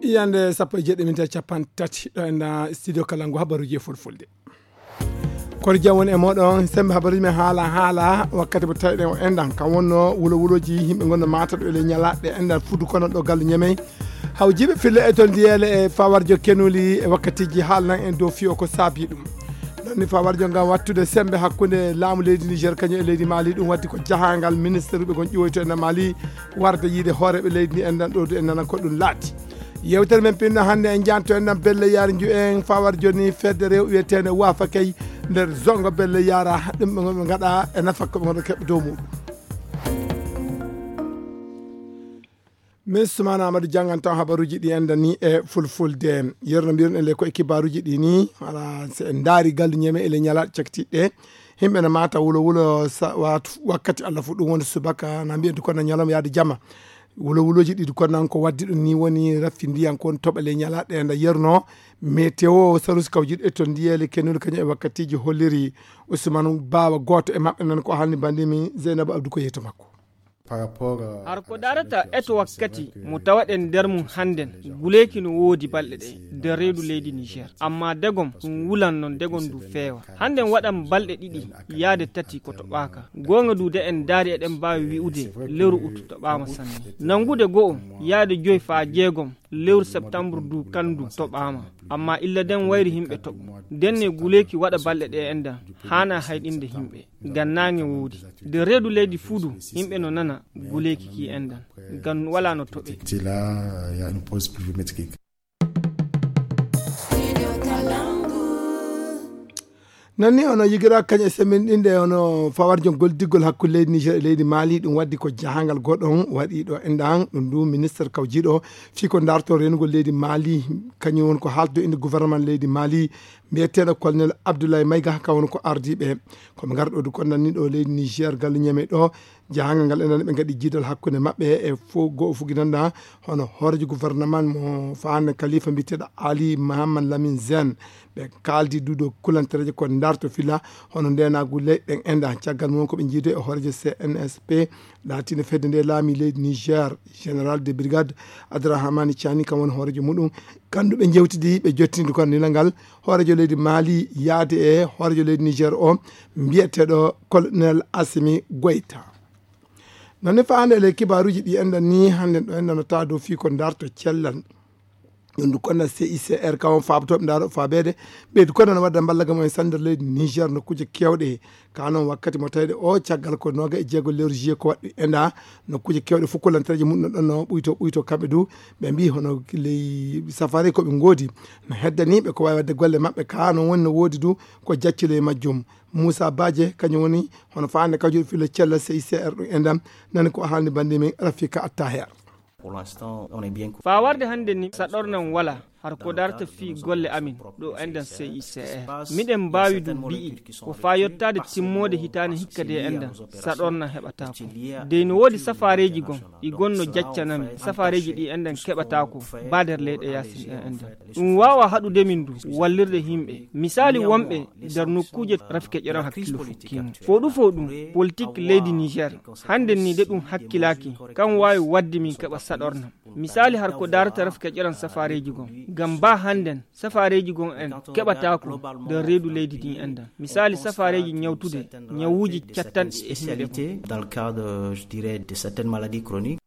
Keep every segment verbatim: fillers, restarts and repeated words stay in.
Iyande sappo e jeɗɗi minti e capanɗe tati ɗo e nder studio Kalangu, habaruuji e fulfulde. Kono jam woni e mooɗon, sembe habaruuji men haala, haala wakkati mo tawiɗen o enɗan. Kam wonno wulo wulooji yimɓe ngonno maata ɗo e ley ñalaaɗe enɗan fudu kono ɗo gallu ñemey. Hawjiiɓe fille e toon ndiyeele e fawarjo kenuli e wakkatiji haalnan en dow fiyo ko saabi ɗum. Ɗon ni fawarjo ngam wattude sembe hakkunde laamu leydi Niger kañum e leydi Mali, ɗum waddi ko jahangal ministre ɓe gon ƴiwoyto e nder Mali warde yiide hooreɓe leydi ndi enɗan ɗo du en nana ko ɗum laati. Yewtere men pinno hannde en janto en nan Belle Yara nju en fawar joni fedde rew wiyeteende Wafa Kay nder zongo Belle Yara, ɗum ɓe ngonɓe ngaɗa e nafakko ɓe ngonɓe keɓɓe dow muɗum. Min Sumana Amadou janngan taw habaruuji ɗi enɗan ni e fulfulde. Yerno mbiɗon e ley ko e kibaruuji ɗi ni, ala se en ndaari gallu ñeme e ley ñalaaɗe cakitiɗe. Yimɓe no maata wulo wulo sa-, waatu wakkati Allah fu ɗum woni subaka, na mbiyen du kono ñalawma yaade jama. Wulo wulooji ɗi du kono nan ko waddi ɗum ni woni raffindiyan kon toɓa ley ñalaaɗe nda yerno. Météo, sarusi kawjiɗo e toon ndiyeele kennuɗo kañum e wakkatiji holliri Ousmane Bawa, gooto e maɓɓe nan ko haalni bandimi Zeynaba Abdou ko yeeto makko. Par rapport, euh, har ko darata eto wakkati mo tawaɗen nder mum hannden, guleeki no woodi balɗe ɗe nder reedu leydi Niger. Amma degom ɗum wulan non degom ndu feewa. Hannden waɗan balɗe ɗiɗi yaade tati ko toɓaaka. Goonga du de en daari eɗen mbaawi wi'ude lewru ut toɓaama sanne. Nanngude go'o yaade joy faa jeegom lewru septembre du kandu toɓaama. Amma illa den wayri yimɓe toɓo. Denne guleeki waɗa balɗe ɗe enɗan haana hayɗinde yimɓe. Ngam naange woodi. Nder reedu leydi fuu du, yimɓe no nana guleeki ki enɗan. Ngam walaa no toɓe. Là, il y a une pause pluviométrique. Non ni ono yigira kañe semminɗinde ono fawarjo goldiggol hakkunde leydi Niger e leydi Mali, ɗum waddi ko jahangal goɗɗon waɗi ɗo enɗan, ɗum du ministre kawjiɗo fii ko darto renugol leydi Mali, kañum woni ko haaldo inde gouvernement leydi Mali, mbiyeteeɗo colonel Abdoulaye Maïga, ka woni ko ardiiɓe. Ko ɓe ngarɗo du kon nanni ɗo leydi Niger, gallu ñeme ɗo, jahangal ngal enɗan ɓe ngaɗi jiidal hakkunde maɓɓe e fo-, go'o fuginanɗa, hono hoorejo gouvernement mo faande Khalifa mbiyeteeɗo Ali Mohamed Lamine Zen. Ɓe kaaldi du dow kulantereeje ko darto fila, hono ndeenaagu leyɗen enɗan. Caggal mum ko ɓe jiido e hoorejo C N S P, laatino fedde nde laami leydi Niger, général de brigade Abdourahmane Tiani, kam woni hoorejo muɗum. Kandu ɓe jewtidi, ɓe jottindi kon nila ngal hoorejo leydi Mali yaade e hoorejo leydi Niger o, mbiyeteeɗo colonel Assimi Goïta. Non ne faande le kibaruuji ɗi enɗan ni, hannde ɗo enɗan no tawa dow fii ko darto cellal. Ɗum du konna C I C R kawon faabotooɓe ndaaro faabeede. Ɓeydu konna no wadda mballa gam en sandar leydi Niger nokkuuje kewɗe. Ka non wakkati mo tawde o caggal ko nooga e jeego lewru juillet ko waɗɗi enɗa nokkuuje kewɗe fof ko lantareeje mum no ɗon no ɓuyto ɓuyto kamɓe du. Ɓe mbi hono ley safari ko ɓe ngoodi no heddaniiɓe ko waawi waɗde golle maɓɓe. Ka non woni no woodi du ko jaccude e majjum. Moussa Badje kañum woni hono faande kawjuɗo filla cella C I C R ɗum enɗan nani ko haalni bannde men Rafika Attaher. Pour l'instant, on est bien. Faa warde hannde ni, saɗornan wala har ko darta fii golle amin ɗo enɗan C I C R. Miɗen mbaawi ɗum mbi'i ko faa yottaade timmoode hitaande hikka de enɗan saɗornan heɓataako. Dey no woodi safaareeji gon, ɗi gonno jaccanami, safaareeji ɗi enɗan keɓataako, baa nder leyɗe yaasin ɗen enɗan. Ɗum waawa haɗude min du, wallirde yimɓe. Misaali wonɓe nder nokkuuje Rafika ƴeran hakkillo fukkiimo. Fo ɗum fo ɗum, politik leydi Niger. Hannde ni de ɗum hakkilaaki, kam waawi waɗde min keɓa saɗornam. Misaali har ko darata Rafika ƴeran safaareeji gon. Ngam baa hannden, safaareeji gon en keɓataako nder reedu leydi ndi enɗan. Misaali safaareeji ñawtude, ñawuuji cattanɗi e himɓe gon. Dans le cadre, je dirais, de certaines maladies chroniques.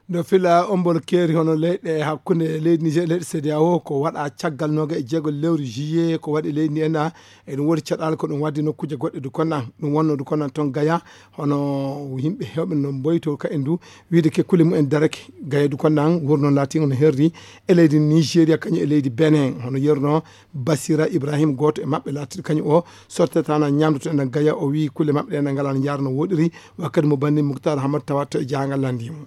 Ndo fila ombol keeri hono leyɗe hakkunde leydi Niger e leyɗe C D A O ko waɗa caggal nooga e jeego lewru juillet ko waɗi leydi ndi enɗa. E ɗum woodi caɗaale ko ɗum waddi nokkuuje goɗɗe du konnan. Ɗum wonno du konnan toon Gaya, hono yimɓe heewɓe no mboyto ka en du, wiide ke kule mumen darake. Gaya du konnan wurno laatiingo no herri e leydi Nigeria kañum e leydi Benin, hono yerno Basira Ibrahim, gooto e maɓɓe laatiiɗo kañum o sortetaana ñaamdu to enɗan Gaya, o wii kule maɓɓe ɗe enɗan ngalaa no njaara no woɗiri, wakkati mo banndi Muktar Hamad tawato e jahangal lanndi mo.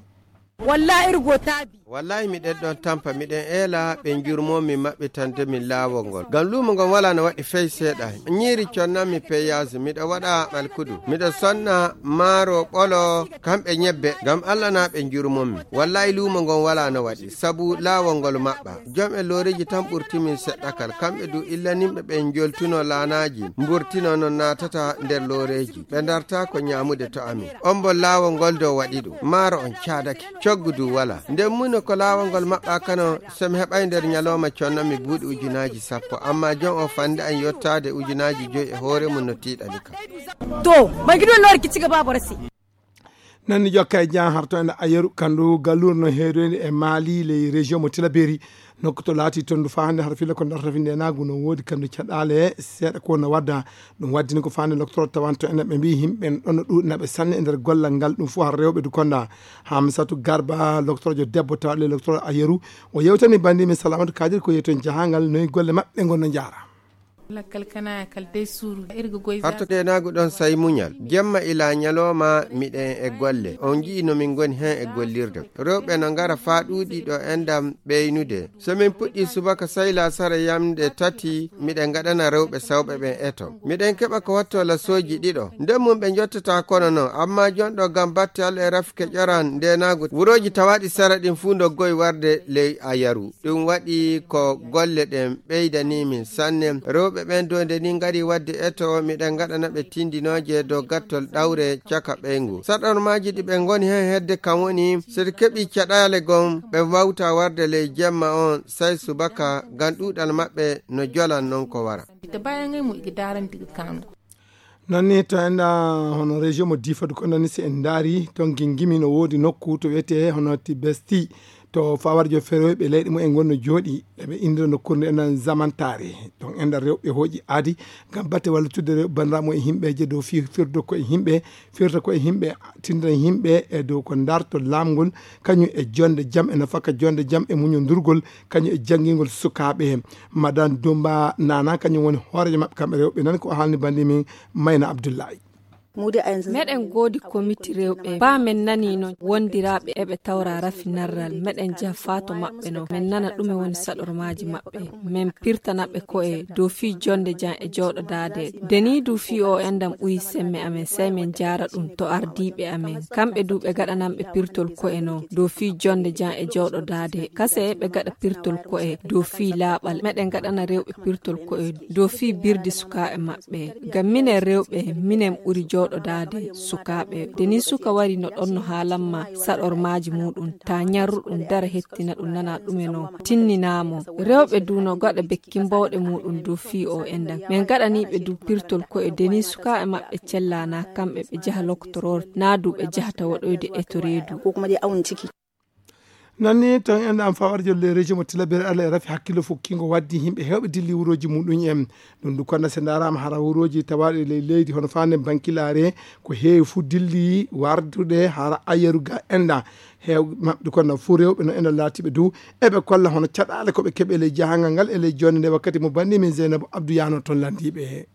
Wallahi, irgo taabi. Wallahi, miɗen ɗon tampa, miɗen eela ɓe njurmoo min maɓɓitande min laawol ngol. Ngam luumo ngon walaa no waɗi fey seeɗa. Ñiiri connanmi peyaas, miɗo waɗa alkudu. Miɗo sonna maaro ɓolo, kamɓe ñebbe, ngam Allah na ɓe njurmonmi. Wallahi, luumo ngon walaa no waɗi, sabu laawol ngol maɓɓa. Jom e looreeji tan ɓurti min seɗɗa kal. Kamɓe du illanimɓe ɓe njoltuno laanaaji, mburtino no naatata nder looreeji. Ɓe ndarta ko ñaamude to amin. On mbo laawol ngol dow waɗi ɗum. Maaro on caadake. Coggu du wala. Nden muno ko laawol ngol maɓɓa kano, so mi heɓay nder ñalooma conno mi buuɗi ujunaaji sappo, amma jon o fande an yottaade ujunaaji joy e hoore mum no tiiɗani kam. To, bangi ɗum noori ki ci gaba barasi. Nan ni jokka e jan harto en ayeru kandu galur no heedoyde e Mali ley région mo Tilaberi. Nokku to laati ton du faa hannde hara filla ko darta finde naagu no woodi kandu caɗaale seeɗa ko no wadda. Ɗum waddini ko faande loktoro tawanto en ɓe mbi yimɓe en ɗon no ɗuuɗi naɓe sanne e nder gollal ngal ɗum fof har rewɓe du konda. Hamsatu Garba loktorojo debbo tawaɗo loktoro ayeru o yewtani bandi min Salamatu Kadir ko yewten jahangal noyi golle maɓɓe ngon no jaara. Lakkal kana kal dey suuru irga goy. Harto denaagu ɗon sayi muñal. Jemma ila ñalooma miɗen e golle. On nji'i no min ngoni hen e gollirde. Rewɓe no ngara faa ɗuuɗi ɗo endam ɓeynude. So min puɗɗi subaka sayla sara yamde tati, miɗen ngaɗana rewɓe sawɓe ɓen eto. Miɗen keɓa ko watto lasooji ɗiɗo. Nden mum ɓe njottata kono non, amma jonɗo gam batte Alla e rafke ƴoran ndenaagu. Wurooji tawaɗi sara ɗin fuu ndoggoy warde ley ayaru. Ɗum waɗi ko golle ɗen ɓeydanii min sanne. Rewɓe ɓen dow nde ni ngari waɗde eto, miɗen ngaɗana ɓe tindinooje dow gattol ɗawre caka ɓeyngu. Saɗormaaji ɗi ɓe ngoni hen hedde kan woni, so ɓe keɓi caɗaale gom, ɓe wawta warde ley jemma on, say subaka, ngam ɗuuɗal maɓɓe no jolan non ko wara. Ita bayan ngai mu iga daran diga kando. Nanni to enda hono région mo Difa du ko nanni si en ndaari, ton gingimi no woodi nokku to wiyetee hono Tibesti, to fawarjo feroyɓe leyɗe mumen ngonno jooɗi, eɓe indira nokkuure nde enen Zamantare. Ton enda rewɓe hooƴi aadi ngam batte wallitudde rewɓe banndiraaɓe mumen e yimɓeeje dow fii firdo ko e yimɓe, firta ko e yimɓe, tindina yimɓe e dow ko darto laamgol, kañum e jonde jam, e nafaka jonde jam, e muñondurgol, kañum e janngingol sukaaɓe. Madame Dumba Nana, kañum woni hooreejo maɓɓe kamɓe rewɓe, nani ko haalni bandi min Mayna Abdullahi. Meɗen goodi komiti rewɓe. Ba men nani no wondiraaɓe eɓe tawra rafi narral. Meɗen jaha faa to maɓɓe no. Men nana ɗume woni saɗormaaji maɓɓe. Men pirtana ɓe ko'e dow fii jonde jam e jooɗodaade. Deni du fii o endam ɓuri semme amen, sey men jaara ɗum to ardiiɓe amen. Kamɓe du ɓe gaɗanan ɓe pirtol ko'e no dow fii jonde jam e jooɗodaade. Kase ɓe gaɗa pirtol ko'e dow fii laaɓal. Meɗen gaɗana rewɓe pirtol ko'e dow fii birdi sukaaɓe maɓɓe. Ngam minen rewɓe, minen ɓuri jooɗodaade sukaaɓe. Deni suka wari no ɗon no haalamma saɗormaaji muuɗum. Ta ñarru ɗum dara hettina ɗum nana ɗume no tinninaamo. Rewɓe du no gaɗa bekki mbawɗe muuɗum dow fii o endam. Men gaɗanii ɓe du pirtol ko'e deni sukaaɓe maɓɓe cellana kamɓe ɓe jaha loktoror, naa du ɓe jahata waɗoyde eto reedu. Ko kuma dai awon ciki. Nanni ton en am fawar jolle région mo Tilaberi Alla e rafi hakkillo fukkingo waddi yimɓe heewɓe dilli wurooji muɗum en. Ɗum du konda se ndaaraama hara wurooji tawaaɗi ley leydi hono faande Bankilaare ko heewi fu dilli wardude hara ayeru ga enda. Heew maɓɓe du konda fu rewɓe no enda laatiɓe du eɓe kolla hono caɗaale ko ɓe keɓe ley jahangal ngal e ley jonde nde wakkati mo banndi min Zeynabu Abdou Yano ton landiiɓe.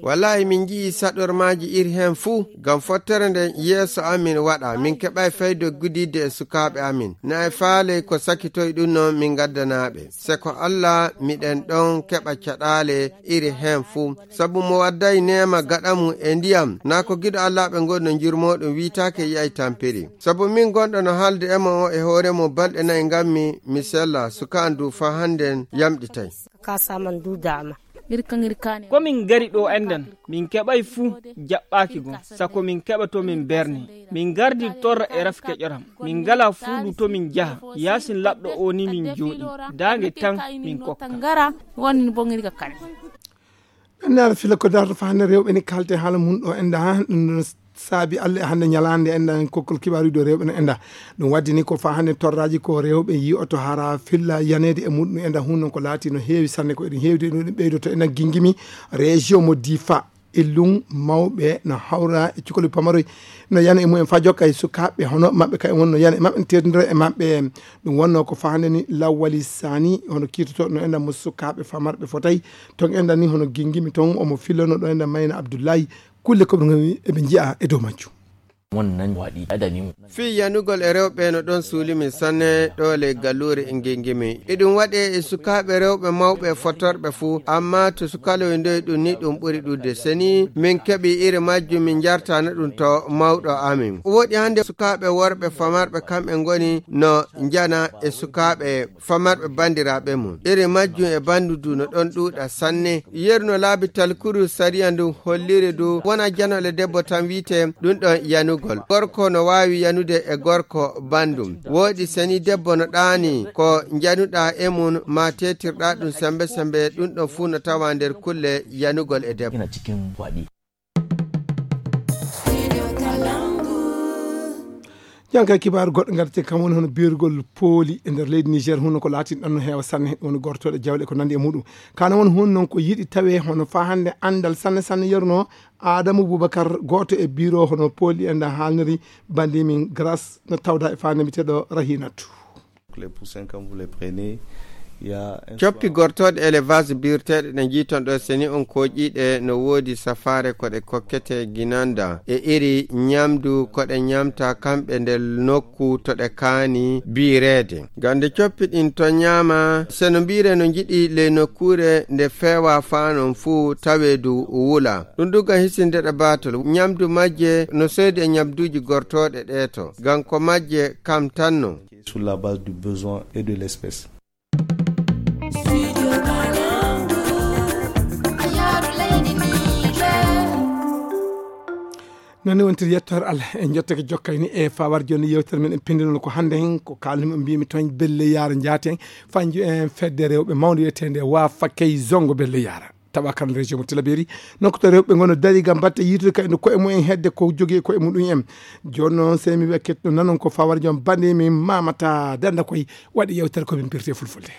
Wallahi min nji'i saɗormaaji iri heen fuu, ngam fottere nde yeeso amin waɗa, min keɓay fayde gudiidde e sukaaɓe amin. Na e faale ko sakitoy ɗum noon min ngaddanaaɓe. Se ko Alla miɗen ɗon keɓa caɗaale iri heen fuu. Sabu mo wadday neema gaɗa mum e ndiyam, naa ko giɗo Alla ɓe ngonno njurmooɗum wiitaake yi'ay tampiri. Sabu min gonɗo no haalde e mo o e hoore mum balɗe nayi ngammi mi sella, suka an du faa hannden yamɗitay. Ka saman du dama. Ngir kan ngir kane. Ko min ngari ɗo enɗan, min keɓay fuu jaɓɓaaki gom, sako min keɓa to min berne. Min ngardi torra e rafi keƴoram. Min ngala fuuɗu to min njaha, yaasin laɓɗo o ni min jooɗi. Daange tan min kokka. Ngara, woni bo ngir ka kane. Ɓe ndeer fila ko darto faa hannde rewɓe ni kalte haala mum ɗo enɗa, ɗum ɗon saabi Alla e hannde ñalaande enɗan kokkol kibaaruuji ɗo rewɓe no enɗa. Ɗum waddi ni ko faa hannde torraaji ko rewɓe yi'oto hara filla yaneede e muɗum enɗa, hun noon ko laati no heewi sanne ko eɗen heewde ɗum ɓeydoto enɗan gingimi région mo Difa. Illum mawɓe no hawra e cukoli pamaroy no yana e mumen faa jokka e sukaaɓe hono maɓɓe kay wonno yana e maɓɓe no teddindira e maɓɓe. Ɗum wonno ko faa hannde ni Lawwali Sani hono kiitoto no enɗan mo sukaaɓe famarɓe fotay. Ton enɗan ni hono gingimi ton omo fillono ɗo enɗan Mayna Abdullahi. Kulle ko ɓe ngoni eɓe nji'a e dow majjum. Wannan waɗi adani. Fii yanugol e rewɓe no ɗon suuli min sanne ɗo ley galluure e ngingimi. Iɗum waɗe e sukaaɓe rewɓe mawɓe e fotorɓe fuu, amma to sukaloy ndoy ɗum ni ɗum ɓuri ɗuuɗde. Se ni min keɓi iri majjum min njartana ɗum to mawɗo amin. Woɗi hannde sukaaɓe worɓe famarɓe kamɓe ngoni no njana e sukaaɓe famarɓe banndiraaɓe mum. Iri majjum e banndu du no ɗon ɗuuɗa sanne. Yeru no laabi talkuru sariya ndu holliri du wona janole debbo tan wiite ɗum ɗon yanugo. Gorko no waawi yanude e gorko banndum. Woodi seni debbo no ɗaani ko njanuɗaa e mum, ma teetirɗaa ɗum sembe sembe, ɗum ɗon fuu no tawa nder kulle yanugol e debbo. Ina cikin waɗi. Jan kay kibaaru goɗɗo ngarten kam woni hono biirgol pooli e nder leydi Niger, huno ko laatin ɗon no heewa sanne, woni gortooɗe jawle ko nandi e muɗum. Kana woni hun noon ko yiɗi tawe hono faa hannde anndal sanne sanne yaruno Adamu Bubakar, gooto e biro hono pooli en da haalniri bandi min Grâce no tawda e faa nemiteɗo Rahinatu. Les poussins, quand vous les prenez, il y a un coppi soir gortooɗe élevage birteeɗe ɗe njiiton ɗo, seni on kooƴiiɗe no woodi safaare ko ɗe kokkete ginanda e iri ñamdu ko ɗe ñamta kamɓe nder nokku to ɗe kaani biireede. Ngam nde coppi ɗin to ñaama, seno mbiire no njiɗi ley nokkuure nde feewa faa non fuu tawee du wula. Ɗum du ngam hisinde ɗe baatol. Ñamdu majje no soodi e ñamduuji gortooɗe ɗee to. Ngam ko majje kam tan non. Sur la base du besoin et de l'espèce. Noon ni wontir yettoore Allah en jottake jokkayni e fawar joni yewtere men en pindinol ko hannde hen ko kalmi o mbimi toon belle yara njaten fanju en fedde rewɓe mawde wiyetende wa fakkey zongo belle yara. Tawa kan région mo Tilaberi, nokkuto rewɓe ngono dari gam batte yitude kayno koye mumen hedde ko jogii koye muɗum en. Jooni noon, sey mi wiya ketto nanon ko fawar jom bande min mamata danda koye waɗi yewtere ko min mbirte fulfulde.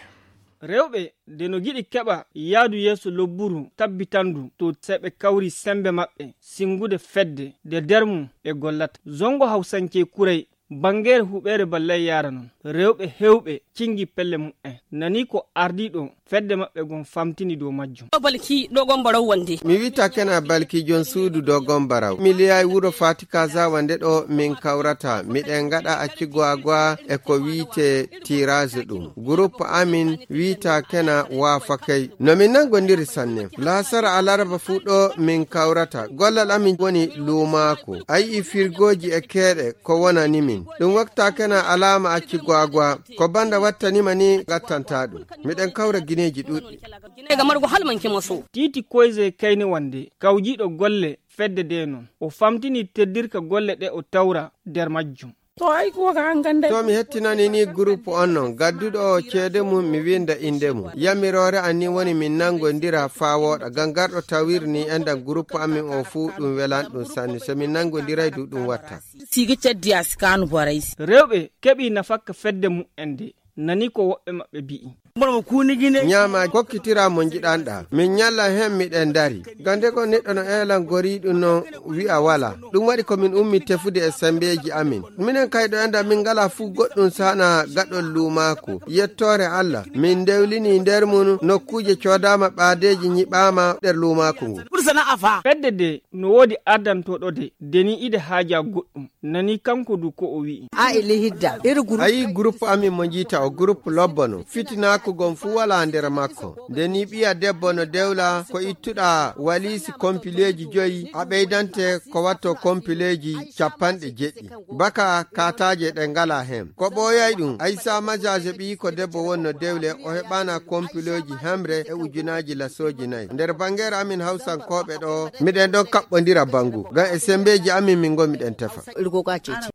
Rewɓe de no giɗi keɓa yaadu yeeso lobburu tabbitandu to seɓe kawri sembe maɓɓe singude fedde de nder mum ɓe gollata. Zongo Hawsancee Kuray, bangere huɓeere ballay yaara noon. Rewɓe hewɓe cingi pelle mumen. Nani ko ardiiɗo fedde maɓɓe gon famtini dow majjum. Balki Dogon Baraw wonde. Mi wita kena Balki jon suudu Dogon Baraw. Mi liyaay wuro Fati Kaza wonde ɗo min kawrata. Miɗen ngaɗa acci gwagwa e ko wiite tirage ɗum. Groupe amin wiita kena waafakay. No min nangondiri sanne. Laasara alarba fuu ɗo min kawrata. Gollal amin woni luumaaku. A yi'i firgooji e keeɗe ko wonani min. Ɗum wakta kena alaama acci gwagwa. Ko banda wattanima ni gattanta ɗum. Miɗen kawra gineeji ɗuɗɗi. Gine ga margo halmanke maso. Titi Koyze Kayne wonde kawjiiɗo golle fedde de noon. O famtini teddirka golle ɗe o tawra nder majjum. To ay ko ka an ganda. To mi hettinani ni groupe on noon, gadduɗo o ceede mum mi winda inde mum. Yamiroore an ni woni min nangondira faa wooɗa. Ngam garɗo tawir ni endan groupe amin o fuu ɗum welan ɗum sanne. So min nangondiray du ɗum watta. Sigi ceddi a sikaanu boray si. Rewɓe keɓi nafakka fedde mumen de. Nani ko woɓɓe maɓɓe bi'i. Mboɗo mo kuuni gine. Ñaama kokkitira mo njiɗanɗa. Min ñalla hen miɗen dari. Gande ko neɗɗo no eelan goriiɗum no wi'a wala. Ɗum waɗi ko min ummi tefude e sembeeji amin. Minen kay ɗo enda min ngala fuu goɗɗum sana gaɗol luumaaku. Yettoore Allah. Min ndewlini nder mum nokkuuje coodaama ɓaadeeji nyiɓaama nder luumaaku ngu. Ɓuri sana'a fa. Fedde de no woodi ardantooɗo de. Deni ide haaja goɗɗum. Nani kanko du ko o wi'i. A e lehidda. Iri groupe. A yi groupe amin mo njiita o groupe lobbo no. Fitinaaku gon fuu wala nder makko. Nde ni ɓiya debbo no dewla ko ittuɗa waliisi kompileeji joyi a ɓeydante ko watto kompileeji capanɗe jeɗɗi. Baka kataaje ɗe ngala hen. Ko ɓooyay ɗum, Aysa Majaje ɓiyi ko debbo wonno dewle o heɓana kompileeji hemre e ujunaaji lasooji nayi. Nder bangere amin Hawsankooɓe ɗo, miɗen ɗon kaɓɓondira bangu. Ngam e sembeeji amin min ngomiɗen tefa. Irgo ka cece.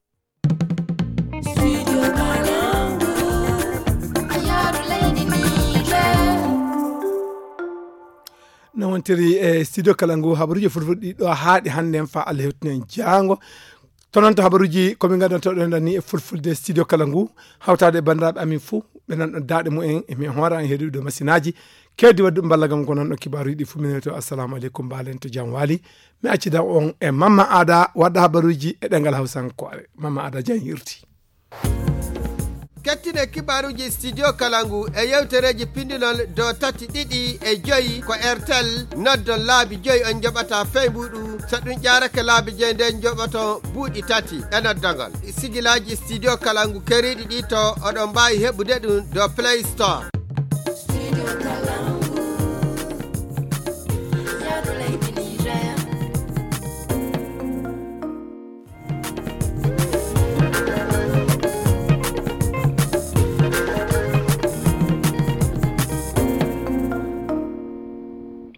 No wontiri e studio kala ngu habaruji fulfulde ɗo haaɗi hannde en fa Allah hewtinen jaango. To noon to habaruji ko min ngaddanto ɗo ni e fulfulde studio kala ngu hawtaade e banndiraaɓe amin fuu ɓe nan ɗon daaɗe mumen e min hoora en heedude ɗo masinaaji. Keddi waddu ballagam ko nan ɗo kibaaruji ɗi fuu min to assalamu aleykum mbaalen to jam waali. Mi accida on e Mamma Ada wadda habaruji e ɗengal Hawsankoore. Mamma Ada jan yirti. Kettine kibaaruji studio kala ngu e yewtereeji pindinol dow tati ɗiɗi e joyi ko Airtel noddon laabi joyi on njoɓata fey mbuuɗu. So ɗum ƴaarake laabi joyi nden njoɓoto buuɗi tati e noddogol. Sigilaaji studio kala ngu keriiɗi ɗi to oɗon mbaawi heɓude ɗum dow Play Store.